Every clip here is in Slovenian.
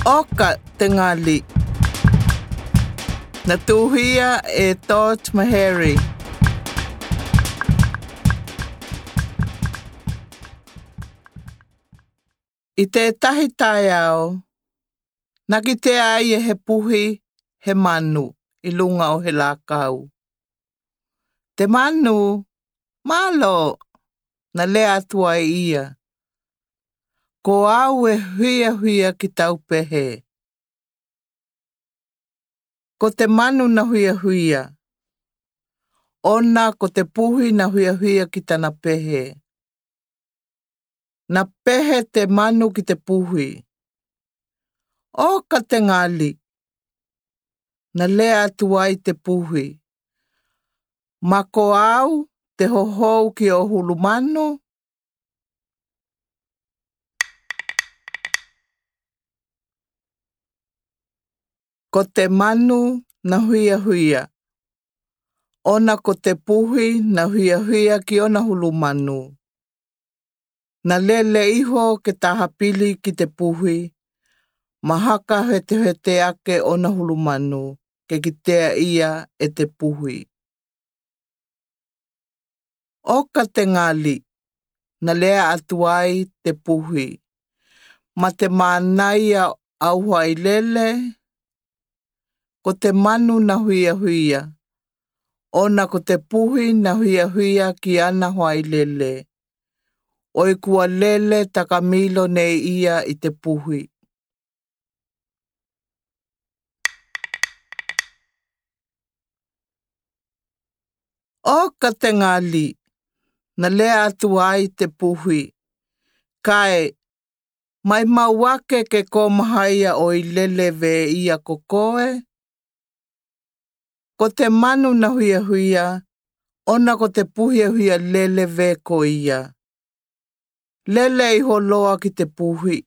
Oka te ngali. Na tuhia e George Mahari. I te tahi tai au, naki te ai e he puhi he manu i lunga o he lākau. Te manu, malo, na lea atua e ia. Ko au e huia ki tau pehe. Ko te manu na huia. Ona ko te puhi na huia ki tana pehe. Na pehe te manu ki te puhi. O ka te ngali. Na lea atua i te puhi. Ma ko au te hohou ki o hulu manu. Ko te manu na huia. Ona ko te puhi na huia ki ona hulu manu. Na lele iho ke tahapili ki te puhi. Mahaka hete ake ona hulu manu. Ke kitea ia e te puhi. O ka te ngali. Na lea atuai te puhi. Ma te manaia au hai lele. Ko te manu na huia. Ona ko te puhi na huia ki ana hai lele. Oi kua lele takamilo nei ia i te puhi. O ka te ngali. Na lea atuai te puhi. Kai, mai mauake ke komahaia o i lele ve ia kokoe. Ko te manu na huia, ona ko te puhi huia lele ve ko ia. Lele i holoa ki te puhi.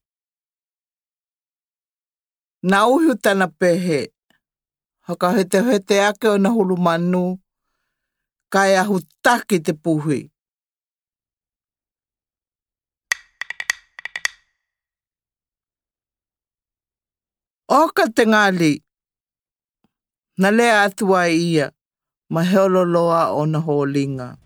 Na uhu tana pehe. Haka hete ake o na hulu manu. Kai ahu taki te puhi. O ka te ngali. Na lea atua ia. Ma heololoa o na holinga.